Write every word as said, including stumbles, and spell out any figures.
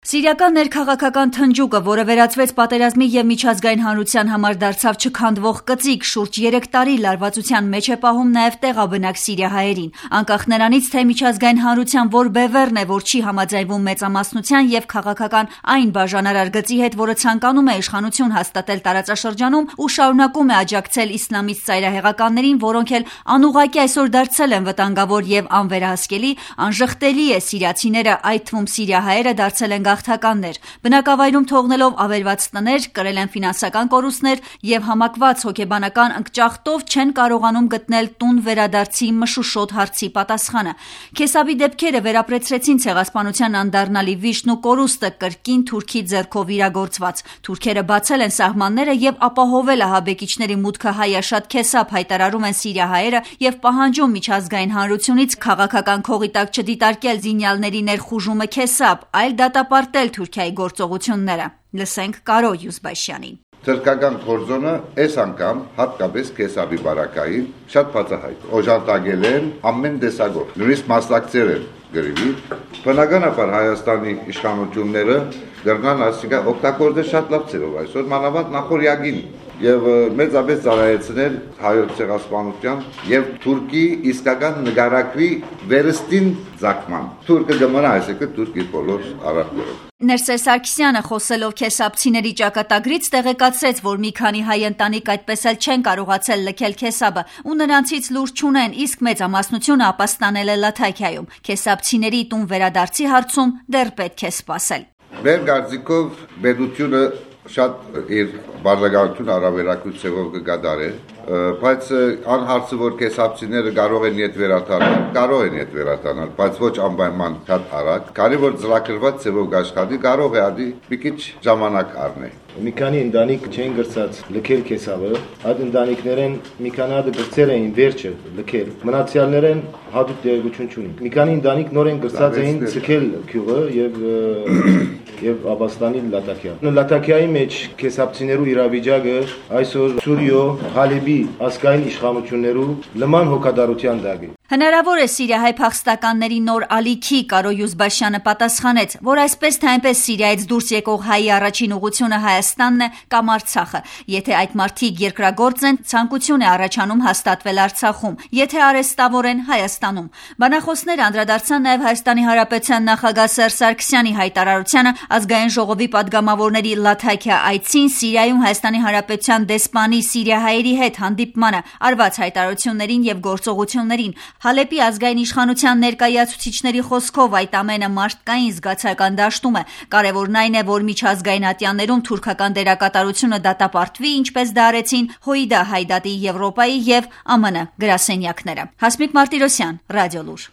Սիրիական ներքաղաքական թնջուկը, որը վերածվեց պատերազմի և միջազգային հանրության համար դարձավ չքանդվող կծիկ, շուրջ երեք տարի լարվածության մեջ է պահում նաև տեղաբնակ սիրիահայերին։ Անկախ նրանից, թե միջազգային հանրության որ բևեռն է, որ չի համաձայնվում մեծամասնության և քաղաքական այն բաժանարար գծի հետ, որը ցանկանում է իշխանություն հաստատել տարածաշրջանում ու շարունակում է աջակցել իսլամիստ ծայրահեղականներին, որոնք էլ անուղղակի այսօր դարձել են վտանգավոր և անվերահսկելի, անժխտելի է սիրիացիները, այդ թվում սիրիահայերը դարձել են գաղթականներ, բնակավայրում թողնելով ավերված տներ, կրել են ֆինանսական կորուստներ և համակված հոգեբանական ընկճախտով չեն կարողանում գտնել տուն վերադարձի մշուշոտ հարցի պատասխանը։ Քեսաբի դեպքերը վերապրեցրեցին ցեղասպանության անդառնալի վիշտն ու կորուստը կրկին Թուրքի ձեռքով իրագործված։ Թուրքերը բացել են սահմանները և ապահովել ահաբեկիչների մուտքը Հայաշատ Քեսաբ, հայտարարում են սիրիահայերը և պահանջում միջազգային հանրությունից քաղաքական քողի տակ չդիտարկել զինյալների ներխուժումը Քեսաբ, այլ դատապարտել Թուրքիայի գործողությունները։ Լսենք Կարո Յուզբաշյանին։ Թրքական կորձոնը այս անգամ հատկապես Քեսաբի բարակային շատ բացահայտ օժանդակել են ամեն տեսակով, նույնիսկ մասնակցել են գրիվի։ Բնականաբար Հայաստանի իշխանությունները դեռնան ասիկա օգտագործել շատ լավ ձևով այսօր մանավանդ նախորյակին եւ մեծապես ծառայեցնել հայոց ցեղասպանության եւ Թուրքի իսկական նկարագրի վերստին ցակման։ Թուրքը գմնա այսինքն Թուրքի բոլոր արարքներով։ Ներսես Սարգսյանը խոսելով քեսաբցիների ճակատագրից տեղեկացրեց, որ մի քանի հայ ընտանիք այդպես էլ չեն կարողացել լքել Քեսաբը ու նրանցից լուր չունեն, իսկ մեծամասնությունը ապաստանել է Լաթաքիայում։ Քեսաբցիների տուն վերադարձի հարցում դեռ պետք է սպասել։ Մեր կարծիքով պետությունը շատ իր բարձրագույն հարաբերակցությունով կգադարել, բայց անհարցը որ քեսաբցիները կարող են իդ վերադառնալ, կարող են իդ վերադառնալ, բայց ոչ անպայման շատ արագ, քանի որ ծրագրված ձևով աշխատի, կարող է ադի մի քիչ ժամանակ առնել։ Մի քանի ընտանիք չեն գրծած լքել Քեսաբը, այդ ընտանիքներեն մի քանի հատ գրծել էին վերջը լքել, մնացյալներեն հատուկ տեղեկություն չունեն։ Մի քանի ընտանիք նորեն գրծած էին ցկել գյուղը եւ եւ ապաստանի Լաթաքիա։ Լաթաքիայի մեջ քեսաբցիներու իրավիճակը այսօր Սուրիո, Հալեբի ազգային իշխանություններու լման հոգադարության դակ է։ Հնարավոր է սիրիահայ փախստականների նոր ալիքի, Կարո Յուզբաշյանը պատասխանեց, որ այսպես թե այնպես Սիրիայից դուրս եկող հայի առաջին ուղղությունը Հայաստանն է կամ Արցախը։ Եթե այդ մարդիկ երկրագործ են, ցանկություն է առաջանում հաստատվել Արցախում, եթե արհեստավոր են Հայաստանում։ Բանախոսները անդրադարձան նաև Հայաստանի Հանրապետության նախագահ Սերժ Սարգսյանի հայտարարությանը ազգային ժողովի պատգամավորների Լաթաքիա այցին, Սիրիայում Հայաստանի Հանրապետության դեսպանի սիրիահայերի հետ հանդիպմանը, արված հայտարարություններին եւ գործողություններին։ Հալեպի ազգային իշխանության ներկայացուցիչների խոսքով այդ ամենը մարդկային զգացական դաշտում է։ Կարևորն այն է, որ միջազգային ատյաններում թուրքական դերակատարությունը դատապարտվի, ինչպես դա արեցին Հույդա Հայդատի Եվրոպայի եւ ԱՄՆ գրասենյակները։ Հասմիկ Մարտիրոսյան, Ռադիոլուր։